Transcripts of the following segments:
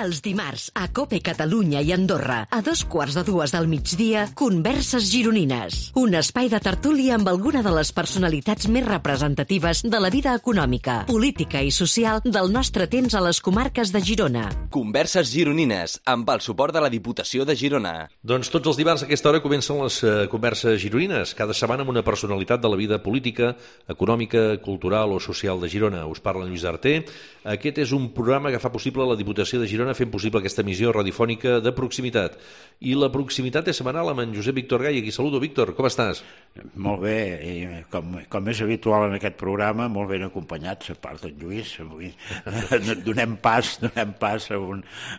Els dimarts, a COPE Catalunya i Andorra, a 2:15 del migdia, Converses Gironines. Un espai de tertúlia amb alguna de les personalitats més representatives de la vida econòmica, política i social del nostre temps a les comarques de Girona. Converses Gironines, amb el suport de la Diputació de Girona. Doncs tots els dimarts a aquesta hora comencen les Converses Gironines, cada setmana amb una personalitat de la vida política, econòmica, cultural o social de Girona. Us parla Lluís Arter. Aquest és un programa que fa possible la Diputació de Girona fent possible aquesta emissió radiofònica de proximitat. I la proximitat és setmanal amb en Josep Víctor Gai. Aquí saludo, Víctor, com estàs? Molt bé, i com és habitual en aquest programa, molt ben acompanyats, a part d'en Lluís. Avui donem pas a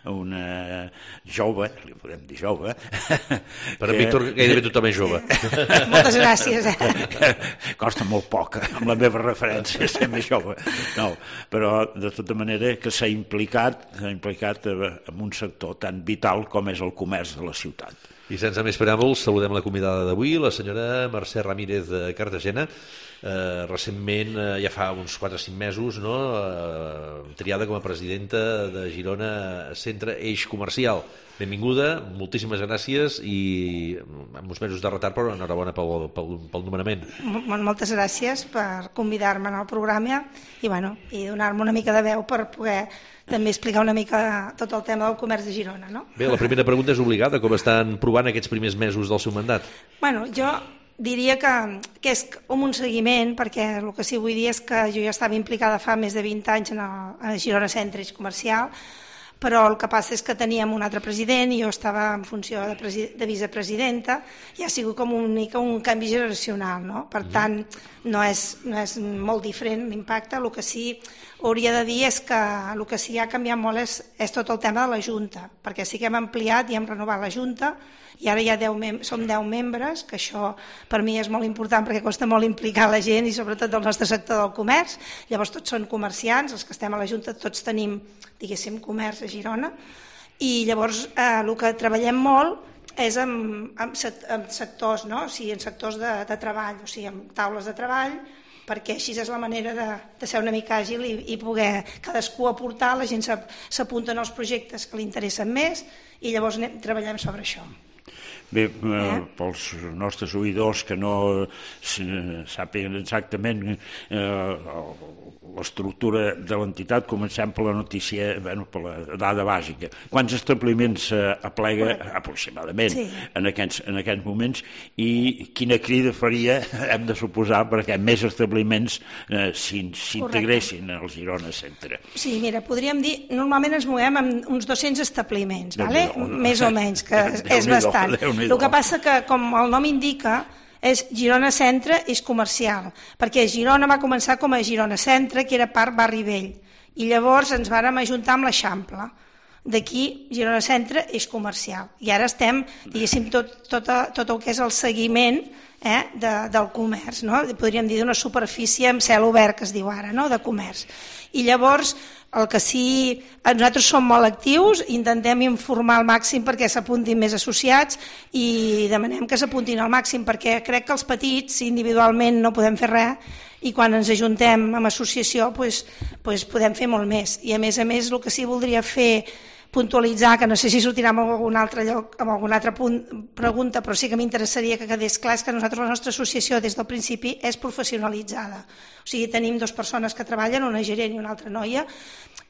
una jove, li podem dir jove. Per en Víctor gairebé tothom és jove. Moltes gràcies. Costa molt poc, amb la meva referència, ser més jove. No, però de tota manera que s'ha implicat en un sector tan vital com és el comerç de la ciutat. I sense més preàmbuls, saludem la convidada d'avui, la senyora Mercè Ramírez de Cartagena, recentment, ja fa uns 4 o 5 mesos, no? Triada com a presidenta de Girona Centre Eix Comercial. Benvinguda, moltíssimes gràcies i amb uns mesos de retard, però enhorabona pel nomenament. Moltes gràcies per convidar-me al programa i donar-me una mica de veu per poder també explicar una mica tot el tema del comerç de Girona. No? Bé, la primera pregunta és obligada. Com estan provant aquests primers mesos del seu mandat? Jo diria que és com un seguiment, perquè el que sí vull dir és que jo ja estava implicada fa més de 20 anys a Girona Centre Eix Comercial, però el que passa és que teníem un altre president i jo estava en funció de vicepresidenta i ha sigut com un canvi generacional, no? Per tant, no és molt diferent l'impacte. El que sí hauria de dir és que el que sí ha canviat molt és tot el tema de la Junta, perquè sí que hem ampliat i hem renovat la Junta i ara ja som 10 membres, que això per mi és molt important perquè costa molt implicar la gent i sobretot del nostre sector del comerç. Llavors tots són comerciants, els que estem a la Junta tots tenim, diguéssim, comerç a Girona i llavors el que treballem molt és en sectors, no? O sigui, en sectors de treball, o sigui, en taules de treball, perquè així és la manera de ser una mica àgil i poder cadascú aportar, la gent s'apunta en els projectes que li interessen més i llavors treballem sobre això. Bé, pels nostres oïdors que no sàpiguen exactament l'estructura de l'entitat, comencem per la notícia, per la dada bàsica. Quants establiments aplega aproximadament en aquests moments i quina crida faria, hem de suposar, perquè més establiments s'integressin al Girona Centre? Sí, mira, podríem dir, normalment ens movem amb uns 200 establiments, més o menys, que és bastant. El que passa que, com el nom indica, és Girona Centre Eix Comercial, perquè Girona va començar com a Girona Centre, que era part Barri Vell, i llavors ens vàrem ajuntar amb l'Eixample. D'aquí Girona Centre Eix Comercial. I ara estem, diguéssim, tot el que és el seguiment del comerç, no? Podríem dir d'una superfície amb cel obert, que es diu ara, no? De comerç. I llavors, el que sí, nosaltres som molt actius, intentem informar al màxim perquè s'apuntin més associats i demanem que s'apuntin al màxim perquè crec que els petits individualment no podem fer res i quan ens ajuntem amb associació podem fer molt més. I a més, el que sí voldria fer puntualitzar, que no sé si sortirà en algun altre lloc, amb alguna altra pregunta, però sí que m'interessaria que quedés clar, és que nosaltres, la nostra associació, des del principi, és professionalitzada. O sigui, tenim 2 persones que treballen, una gerent i una altra noia,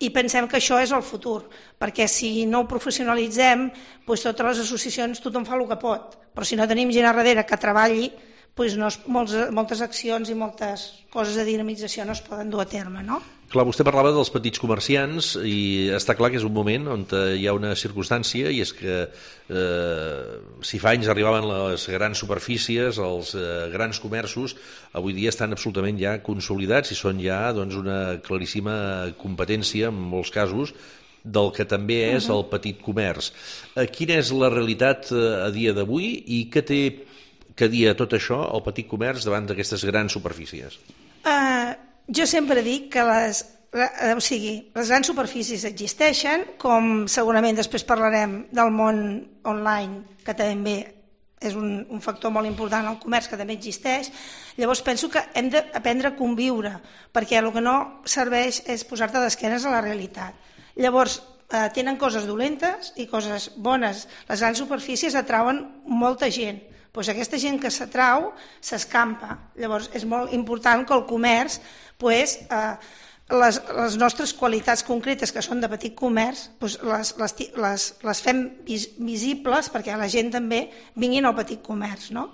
i pensem que això és el futur, perquè si no ho professionalitzem, totes les associacions tothom fa el que pot, però si no tenim gent a darrere que treballi, moltes accions i moltes coses de dinamització no es poden dur a terme, no? Clar, vostè parlava dels petits comerciants i està clar que és un moment on hi ha una circumstància i és que si fa anys arribaven les grans superfícies, els grans comerços, avui dia estan absolutament ja consolidats i són ja una claríssima competència en molts casos del que també és el petit comerç. Quina és la realitat a dia d'avui i què té que dir a tot això el petit comerç davant d'aquestes grans superfícies? Jo sempre dic que les grans superfícies existeixen, com segurament després parlarem del món online, que també és un factor molt important al comerç, que també existeix. Llavors penso que hem d'aprendre a conviure, perquè el que no serveix és posar-te d'esquenes a la realitat. Llavors, tenen coses dolentes i coses bones. Les grans superfícies atrauen molta gent. Doncs aquesta gent que s'atrau s'escampa. Llavors és molt important que el comerç, les nostres qualitats concretes, que són de petit comerç, les fem visibles perquè la gent també vingui al petit comerç, no?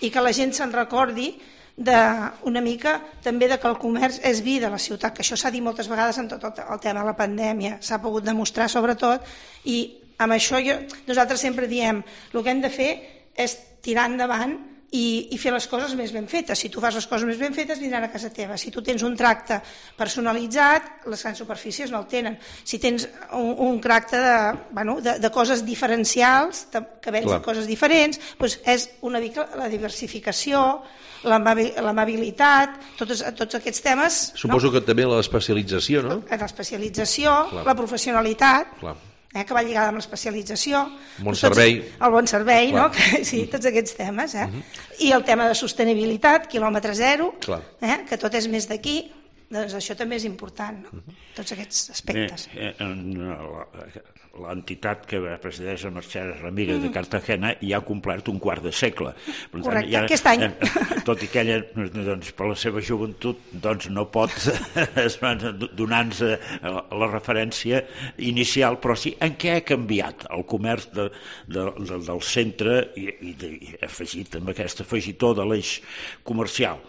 I que la gent se'n recordi una mica també que el comerç és vida a la ciutat, que això s'ha dit moltes vegades amb tot el tema de la pandèmia, s'ha pogut demostrar sobretot, i amb això nosaltres sempre diem el que hem de fer és tirar endavant i fer les coses més ben fetes. Si tu fas les coses més ben fetes, vindran a casa teva. Si tu tens un tracte personalitzat, les grans superfícies no el tenen. Si tens un tracte de coses diferencials, que vens coses diferents, doncs és una mica la diversificació, l'amabilitat, tots aquests temes. Suposo que també l'especialització, no? L'especialització, la professionalitat, que va lligada amb l'especialització. El bon servei. El bon servei, no? Sí, tots aquests temes. I el tema de sostenibilitat, quilòmetre zero, que tot és més d'aquí, doncs això també és important, tots aquests aspectes. L'entitat que presideix la Mercè Ramírez de Cartagena ja ha complert un quart de segle. Correcte, aquest any. Tot i que ella, per la seva joventut, no pot donar-nos la referència inicial, però sí en què ha canviat el comerç del centre i afegit amb aquest afegitó de l'eix comercial.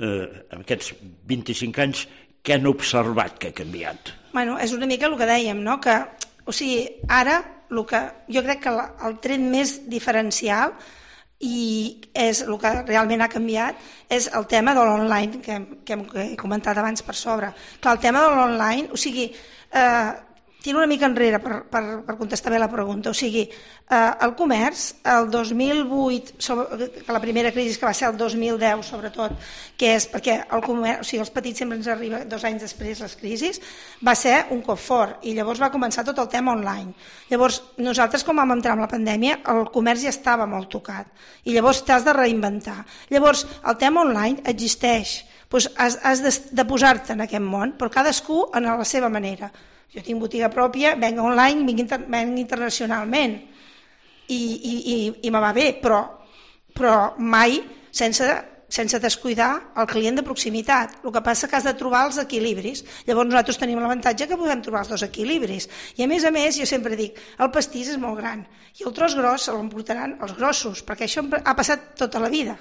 En aquests 25 anys, què han observat que ha canviat? És una mica el que dèiem, no? O sigui, ara jo crec que el tret més diferencial i és el que realment ha canviat és el tema de l'online que he comentat abans per sobre. Clar, el tema de l'online, o sigui, tiro una mica enrere per contestar bé la pregunta. O sigui, el comerç, el 2008, la primera crisi que va ser el 2010 sobretot, que és perquè el comerç, o sigui, els petits sempre ens arriba 2 anys després les crisis, va ser un cop fort i llavors va començar tot el tema online. Llavors, nosaltres quan vam entrar en la pandèmia, el comerç ja estava molt tocat i llavors t'has de reinventar. Llavors, el tema online existeix, has de posar-te en aquest món, però cadascú a la seva manera. Jo tinc botiga pròpia, venc online, venc internacionalment i me va bé, però mai sense descuidar el client de proximitat. El que passa que has de trobar els equilibris. Llavors nosaltres tenim l'avantatge que podem trobar els 2 equilibris. I a més, jo sempre dic, el pastís és molt gran i el tros gros se l'emportaran els grossos, perquè això ha passat tota la vida.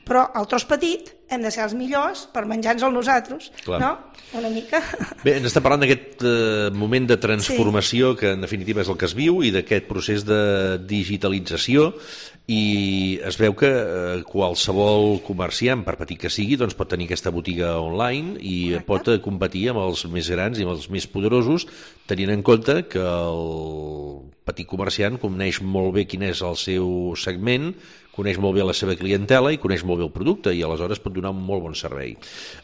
Però el tros petit hem de ser els millors per menjar-nos-el nosaltres, no? Una mica. Bé, ens està parlant d'aquest moment de transformació que en definitiva és el que es viu i d'aquest procés de digitalització i es veu que qualsevol comerciant, per petit que sigui, doncs pot tenir aquesta botiga online i pot competir amb els més grans i amb els més poderosos, tenint en compte que el petit comerciant coneix molt bé quin és el seu segment, coneix molt bé la seva clientela i coneix molt bé el producte i aleshores pot donar un molt bon servei.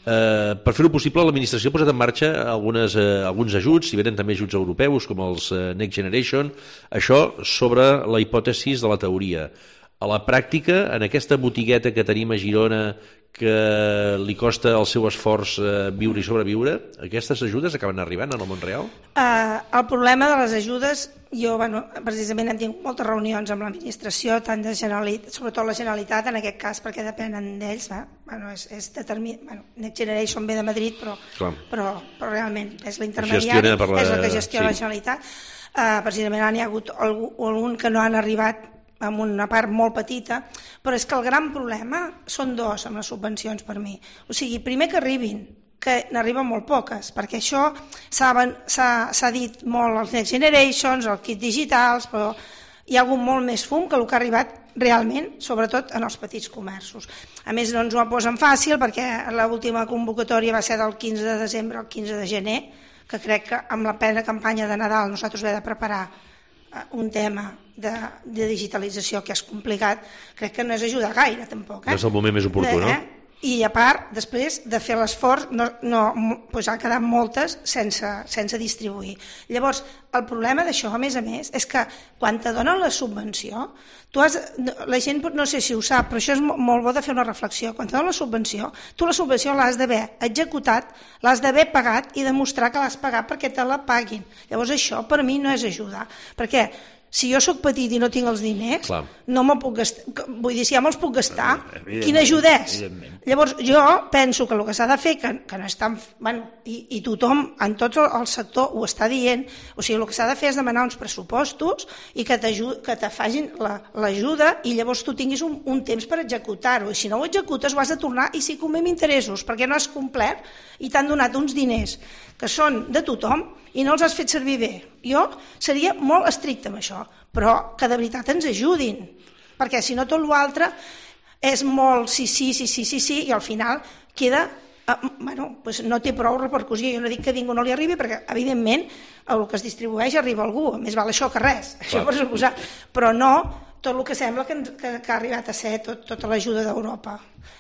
Per fer-ho possible, l'administració ha posat en marxa alguns ajuts, si venen també ajuts europeus com els Next Generation, això sobre la hipòtesi de la teoria. A la pràctica, en aquesta botigueta que tenim a Girona que li costa el seu esforç viure i sobreviure, aquestes ajudes acaben arribant en el món real? El problema de les ajudes, jo precisament hem tingut moltes reunions amb l'administració, tant de Generalitat, sobretot la Generalitat en aquest cas, perquè depenen d'ells, Next Generation ve de Madrid, però realment és l'intermediari, és el que gestiona la Generalitat. Precisament n'hi ha hagut algun que no han arribat amb una part molt petita, però és que el gran problema són 2 amb les subvencions per mi. O sigui, primer que arribin, que n'arriben molt poques, perquè això s'ha dit molt als Next Generations, als kits digitals, però hi ha hagut molt més fum que el que ha arribat realment, sobretot en els petits comerços. A més, no ens ho posen fàcil perquè l'última convocatòria va ser del 15 de desembre al 15 de gener, que crec que amb la plena campanya de Nadal nosaltres hem de preparar un tema de digitalització que és complicat, crec que no és ajudar gaire tampoc. No és el moment més oportú, no? I a part, després de fer l'esforç, doncs han quedat moltes sense distribuir. Llavors, el problema d'això, a més, és que quan te donen la subvenció, la gent no sé si ho sap, però això és molt bo de fer una reflexió. Quan te donen la subvenció, tu la subvenció l'has d'haver executat, l'has d'haver pagat i demostrar que l'has pagat perquè te la paguin. Llavors això per mi no és ajudar, perquè si jo sóc petit i no tinc els diners, no me'l puc gastar. Vull dir, si ja me'ls puc gastar, quina ajuda és? Llavors, jo penso que el que s'ha de fer, que no és tan... I tothom, en tot el sector, ho està dient, o sigui, el que s'ha de fer és demanar uns pressupostos i que te facin l'ajuda i llavors tu tinguis un temps per executar-ho. I si no ho executes, ho has de tornar i sí com amb interessos, perquè no has complert i t'han donat uns diners que són de tothom i no els has fet servir bé. Jo seria molt estricte amb això, però que de veritat ens ajudin, perquè si no tot l'altre és molt sí, i al final queda... doncs no té prou repercussió. Jo no dic que a ningú no li arribi, perquè evidentment el que es distribueix arriba a algú, més val això que res, això per suposar, però no tot el que sembla que ha arribat a ser tota l'ajuda d'Europa.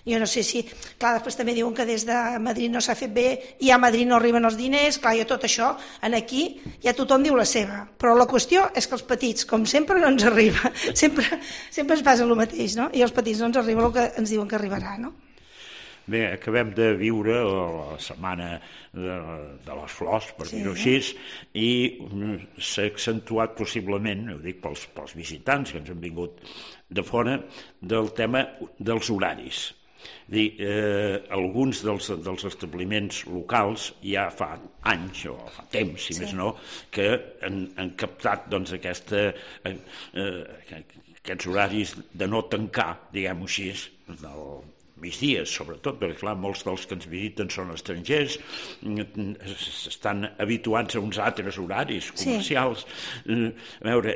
Jo no sé si... Clar, després també diuen que des de Madrid no s'ha fet bé i a Madrid no arriben els diners, clar, jo tot això, aquí ja tothom diu la seva, però la qüestió és que els petits, com sempre, no ens arriba, sempre ens passa el mateix, no? I els petits no ens arriba el que ens diuen que arribarà, no? Bé, acabem de viure la setmana de les flors, per dir-ho així, i s'ha accentuat possiblement, ho dic pels visitants que ens han vingut de fora, del tema dels horaris. Alguns dels establiments locals ja fa anys o fa temps, si més no, que han captat aquests horaris de no tancar, diguem-ho així, del migdies, sobretot, perquè clar, molts dels que ens visiten són estrangers, estan habituats a uns altres horaris comercials. A veure,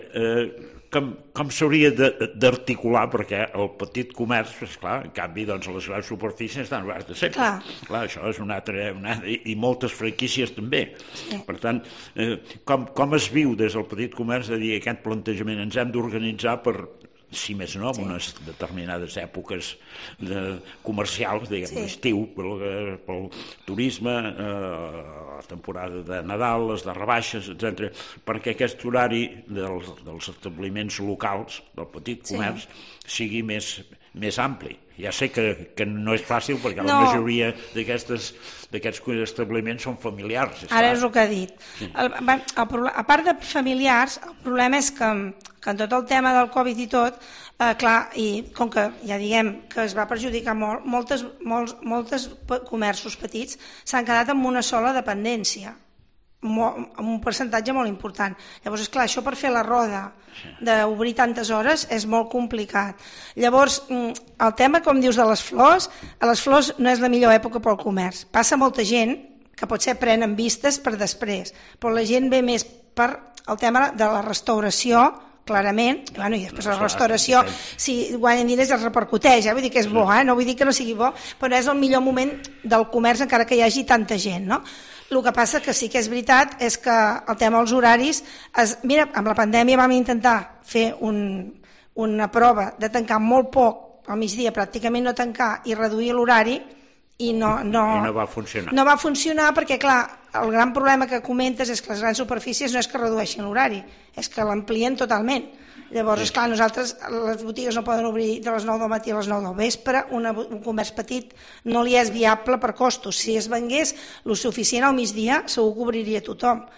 com s'hauria d'articular, perquè el petit comerç, esclar, en canvi, doncs les grans superfícies estan obertes sempre. Clar, això és una altra... I moltes franquícies també. Per tant, com es viu des del petit comerç de dir aquest plantejament? Ens hem d'organitzar per... si més no, en unes determinades èpoques comercials, diguem, l'estiu, pel turisme, la temporada de Nadal, les de rebaixes, etc., perquè aquest horari dels establiments locals, del petit comerç, sigui més ampli. Ja sé que no és fàcil perquè la majoria d'aquests establiments són familiars. Ara és el que ha dit. A part de familiars, el problema és que en tot el tema del Covid i tot, clar, i com que ja diguem que es va perjudicar molt, molts comerços petits s'han quedat amb una sola dependència, amb un percentatge molt important. Llavors, esclar, això per fer la roda d'obrir tantes hores és molt complicat. Llavors, el tema, com dius, de les flors no és la millor època pel comerç. Passa molta gent que potser prenen vistes per després, però la gent ve més per el tema de la restauració, clarament, i després la restauració, si guanyen diners es repercuteix, vull dir que és bo, no vull dir que no sigui bo, però és el millor moment del comerç encara que hi hagi tanta gent, no? El que passa que sí que és veritat és que el tema dels horaris, mira, amb la pandèmia vam intentar fer una prova de tancar molt poc al migdia, pràcticament no tancar i reduir l'horari, i no va funcionar. No va funcionar perquè, clar, el gran problema que comentes és que les grans superfícies no és que redueixin l'horari, és que l'amplien totalment. Llavors, esclar, nosaltres, les botigues no poden obrir de les 9 del matí a les 9 del vespre, un comerç petit no li és viable per costos. Si es vengués el suficient al migdia, segur que obriria tothom,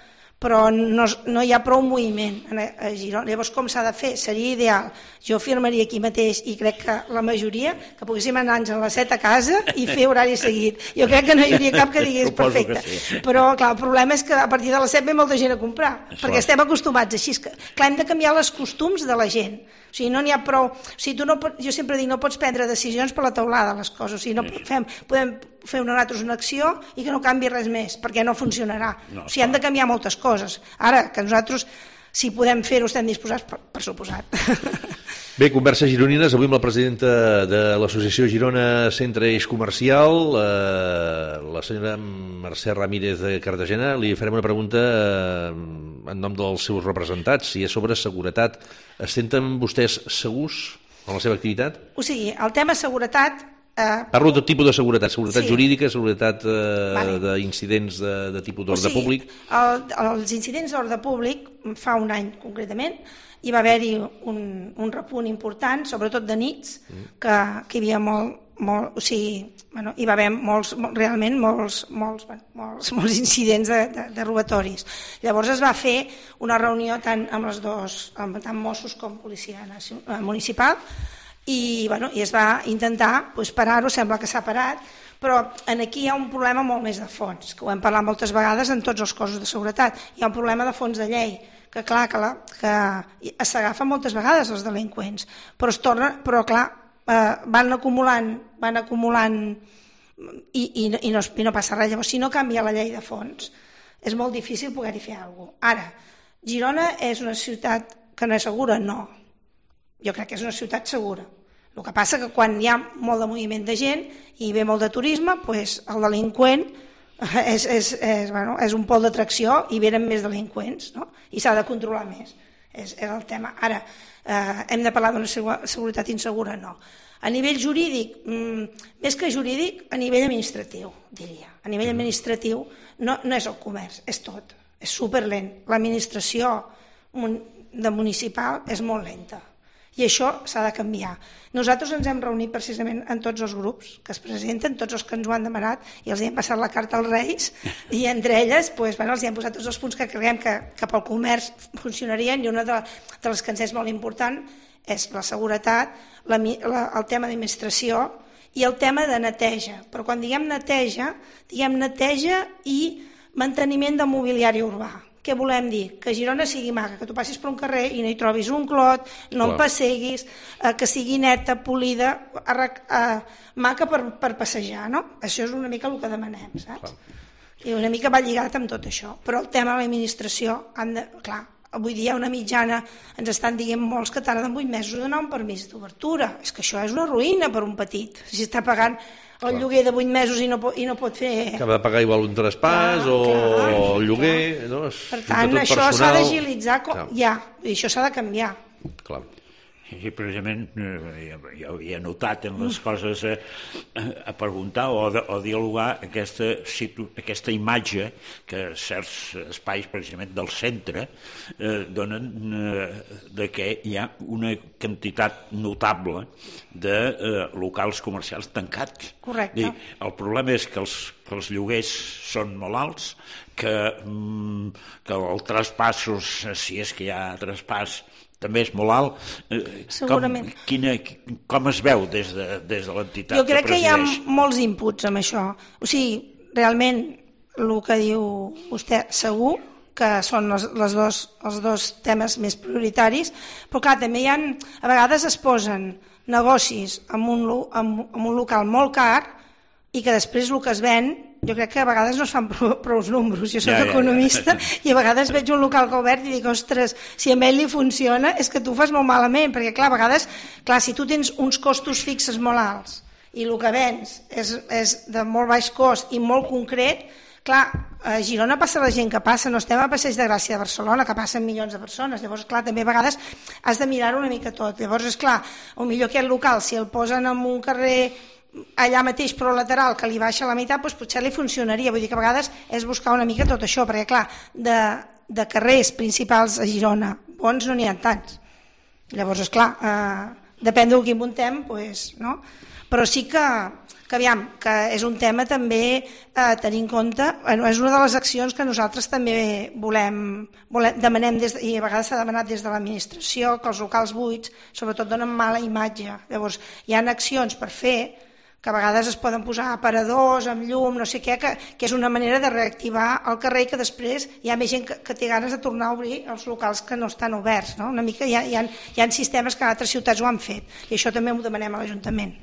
però no hi ha prou moviment a Girona. Llavors, com s'ha de fer? Seria ideal. Jo firmaria aquí mateix, i crec que la majoria, que poguéssim anar-nos a les 7 a casa i fer horari seguit. Jo crec que no hi hauria cap que digués perfecte. Però, clar, el problema és que a partir de les 7 ve molta gent a comprar, perquè estem acostumats així. Clar, hem de canviar els costums de la gent. O sigui, no n'hi ha prou... Jo sempre dic, no pots prendre decisions per la teulada, les coses. O sigui, podem fer nosaltres una acció i que no canvi res més, perquè no funcionarà. O sigui, han de canviar moltes coses. Ara, que nosaltres, si podem fer-ho, estem disposats, per suposat. Bé, converses gironines, avui amb la presidenta de l'associació Girona Centre Eix Comercial, la senyora Mercè Ramírez de Cartagena. Li farem una pregunta en nom dels seus representats, si és sobre seguretat. Es senten vostès segurs en la seva activitat? O sigui, el tema seguretat Parlo de tipus de seguretat jurídica, seguretat d'incidents de tipus d'ordre públic. Els incidents d'ordre públic, fa un any concretament, hi va haver-hi un repunt important, sobretot de nits, que hi havia hi va haver molts incidents de robatoris. Llavors es va fer una reunió tant amb els dos, tant Mossos com Policia Municipal, i es va intentar parar-ho, sembla que s'ha parat, però aquí hi ha un problema molt més de fons, que ho hem parlat moltes vegades en tots els cossos de seguretat. Hi ha un problema de fons de llei, que clar, que s'agafa moltes vegades els delinqüents, però clar, van acumulant i no passa res. Llavors, si no canvia la llei de fons, és molt difícil poder-hi fer alguna cosa. Ara, Girona és una ciutat que no és segura? No. Jo crec que és una ciutat segura. El que passa que quan hi ha molt de moviment de gent i ve molt de turisme, el delinqüent és un pol d'atracció i venen més delinqüents, no? I s'ha de controlar més. És el tema. Ara, hem de parlar d'una seguretat insegura? No. A nivell jurídic, més que jurídic, a nivell administratiu, diria. A nivell administratiu no és el comerç, és tot. És superlent. L'administració de municipal és molt lenta. I això s'ha de canviar. Nosaltres ens hem reunit precisament en tots els grups que es presenten, tots els que ens ho han demanat, i els hem passat la carta als Reis, i entre elles els hem posat tots els punts que creiem que pel comerç funcionarien, i una de les que ens és molt important és la seguretat, el tema d'administració i el tema de neteja. Però quan diguem neteja i manteniment del mobiliari urbà. Què volem dir? Que Girona sigui maca, que tu passis per un carrer i no hi trobis un clot, no en passeguis, que sigui neta, polida, maca per passejar, no? Això és una mica el que demanem, saps? I una mica va lligat amb tot això. Però el tema de l'administració, clar, avui dia una mitjana, ens estan dient molts que tarden 8 mesos a donar un permís d'obertura. És que això és una ruïna per un petit. Si està pagant el lloguer de 8 mesos i no pot fer... Acaba de pagar igual un traspàs o el lloguer... Per tant, això s'ha d'agilitzar ja, i això s'ha de canviar. Clar. I precisament jo havia notat en les coses a preguntar o dialogar aquesta imatge que certs espais precisament del centre donen de que hi ha una quantitat notable de locals comercials tancats. Correcte. El problema és que els lloguers són molt alts, que el traspassos, si és que hi ha traspàs, també és molt alt. Segurament. Com es veu des de l'entitat? Jo crec que hi ha molts inputs amb això. O sigui, realment, el que diu vostè, segur que són els dos temes més prioritaris, però clar, també hi ha, a vegades es posen negocis en un local molt car i que després el que es ven, jo crec que a vegades no es fan prou números. Jo soc economista i a vegades veig un local que obert i dic, ostres, si a ell li funciona és que tu ho fas molt malament, perquè clar, a vegades, si tu tens uns costos fixes molt alts i el que vens és de molt baix cost i molt concret, clar, a Girona passa la gent que passa, no estem a Passeig de Gràcia de Barcelona, que passen milions de persones, llavors, clar, també a vegades has de mirar-ho una mica tot. Llavors, esclar, potser aquest local, si el posen en un carrer allà mateix però lateral que li baixa la meitat, doncs potser li funcionaria. Vull dir que a vegades és buscar una mica tot això, perquè clar, de carrers principals a Girona bons no n'hi ha tants. Llavors, esclar, depèn del que muntem, doncs, no? Però sí que aviam, que és un tema també a tenir en compte, és una de les accions que nosaltres també demanem, i a vegades s'ha demanat des de l'administració, que els locals buits sobretot donen mala imatge. Llavors, hi ha accions per fer, que a vegades es poden posar aparadors amb llum, no sé què, que és una manera de reactivar el carrer i que després hi ha més gent que té ganes de tornar a obrir els locals que no estan oberts. No? Una mica hi ha sistemes que altres ciutats ho han fet i això també ho demanem a l'Ajuntament.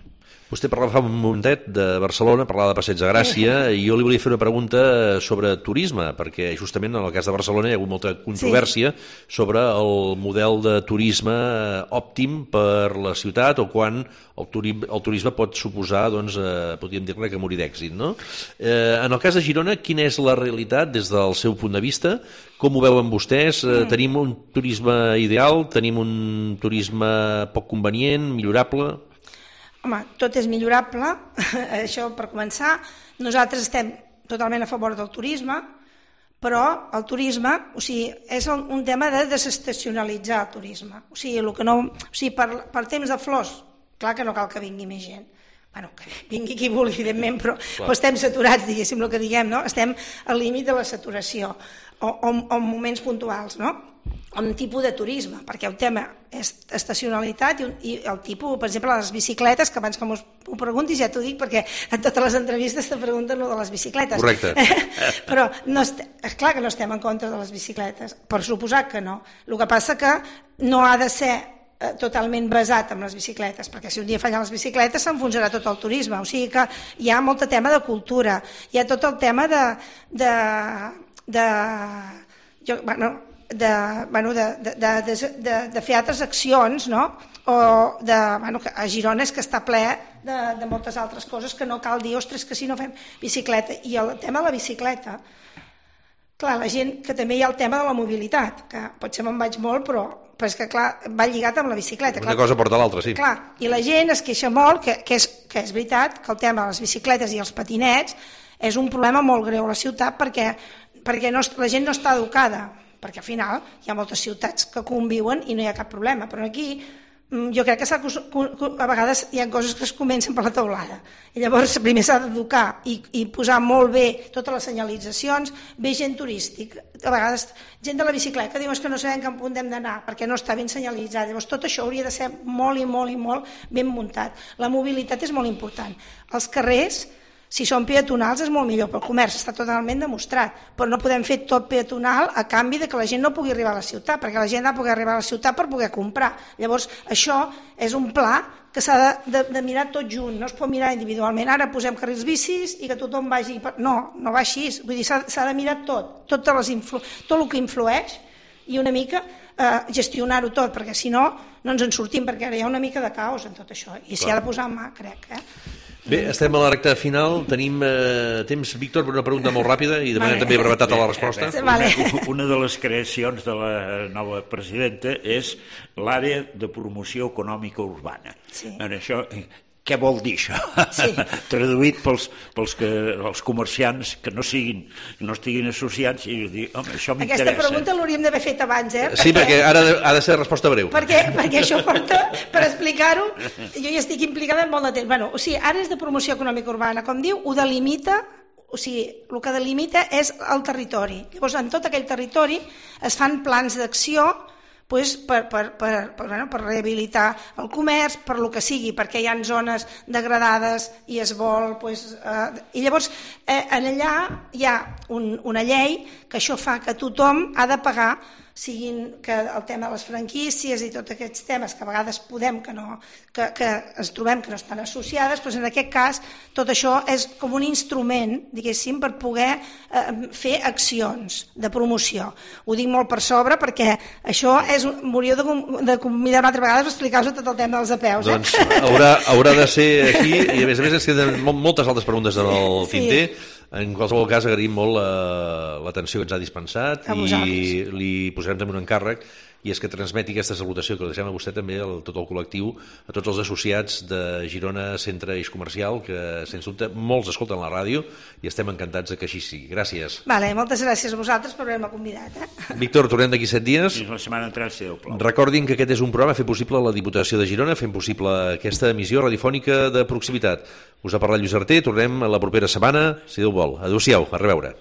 Vostè parlava fa un momentet de Barcelona, parlava de Passeig de Gràcia, i jo li volia fer una pregunta sobre turisme, perquè justament en el cas de Barcelona hi ha hagut molta controvèrsia sobre el model de turisme òptim per la ciutat, o quan el turisme pot suposar, doncs, podríem dir-ne que morir d'èxit, no? En el cas de Girona, quina és la realitat des del seu punt de vista? Com ho veuen vostès? Tenim un turisme ideal? Tenim un turisme poc convenient, millorable? Home, tot és millorable, això per començar. Nosaltres estem totalment a favor del turisme, però el turisme, o sigui, és un tema de desestacionalitzar el turisme. O sigui, per temps de flors, clar que no cal que vingui més gent. Bueno, que vingui qui vulgui, evidentment, però estem saturats, diguéssim, el que diguem, no? Estem al límit de la saturació, o en moments puntuals, no? Un tipus de turisme, perquè el tema és estacionalitat i el tipus, per exemple, les bicicletes, que abans que m'ho preguntis ja t'ho dic, perquè en totes les entrevistes te pregunten lo de les bicicletes. Correcte. Però és clar que no estem en contra de les bicicletes, per suposar que no. El que passa que no ha de ser totalment basat en les bicicletes, perquè si un dia fallen les bicicletes s'enfonsarà tot el turisme, o sigui que hi ha molt tema de cultura, hi ha tot el tema de fer altres accions, no? O a Girona és que està ple de moltes altres coses que no cal dir, ostres, que si no fem bicicleta. I el tema de la bicicleta, clar, la gent, que també hi ha el tema de la mobilitat, que potser me'n vaig molt, però és que, clar, va lligat amb la bicicleta. Una cosa porta l'altra, sí. Clar, i la gent es queixa molt, que és veritat, que el tema de les bicicletes i els patinets és un problema molt greu a la ciutat perquè la gent no està educada, perquè al final hi ha moltes ciutats que conviuen i no hi ha cap problema, però aquí jo crec que a vegades hi ha coses que es comencen per la teulada i llavors primer s'ha d'educar i posar molt bé totes les senyalitzacions, bé gent turístic, a vegades gent de la bicicleta que diu que no sabem cap punt hem d'anar perquè no està ben senyalitzat, llavors tot això hauria de ser molt i molt i molt ben muntat. La mobilitat és molt important. Els carrers, si són peatonals és molt millor, però el comerç està totalment demostrat, però no podem fer tot peatonal a canvi de que la gent no pugui arribar a la ciutat, perquè la gent ha de poder arribar a la ciutat per poder comprar. Llavors això és un pla que s'ha de mirar tot junt, no es pot mirar individualment. Ara posem carrils bicis i que tothom vagi... No va així, vull dir, s'ha de mirar tot el que influeix i una mica gestionar-ho tot, perquè si no ens en sortim, perquè ara hi ha una mica de caos en tot això, i s'hi ha de posar en mà, crec. Bé, estem a la recta final, tenim temps, Víctor, per una pregunta molt ràpida i demanem també brevetat a la resposta. Una de les creacions de la nova presidenta és l'àrea de promoció econòmica urbana. Això, què vol dir això? Traduït pels comerciants que no estiguin associats i dir, home, això m'interessa. Aquesta pregunta l'hauríem d'haver fet abans, Sí, perquè ara ha de ser resposta breu. Perquè això porta, per explicar-ho, jo ja estic implicada en molt de temps. O sigui, àrees de promoció econòmica urbana, com diu, ho delimita, o sigui, el que delimita és el territori. Llavors, en tot aquell territori es fan plans d'acció per rehabilitar el comerç, per lo que sigui, perquè hi ha zones degradades i es vol... I llavors, allà hi ha una llei que això fa que tothom ha de pagar, siguin que el tema de les franquícies i tots aquests temes que a vegades que ens trobem que no estan associades, doncs en aquest cas tot això és com un instrument, diguéssim, per poder fer accions de promoció. Ho dic molt per sobre perquè això m'hauríeu de convidar una altra vegada per explicar-vos tot el tema dels apeus. Doncs haurà de ser aquí i a més ens queden moltes altres preguntes en el tinter. En qualsevol cas, agraïm molt l'atenció que ens ha dispensat i li posarem també un encàrrec, i és que transmeti aquesta salutació que li deixem a vostè també, a tot el col·lectiu, a tots els associats de Girona Centre Eix Comercial, que sens dubte molts escolten la ràdio i estem encantats que així sigui. Gràcies. Moltes gràcies a vosaltres per haver-me convidat. Víctor, tornem d'aquí 7 dies. Fins la setmana entrant, si Déu plau. Recordin que aquest és un programa fet possible a la Diputació de Girona, fent possible aquesta emissió radiofònica de proximitat. Us ha parlat Lluís Arter, tornem la propera setmana, si Déu vol. Adéu-siau, a reveure.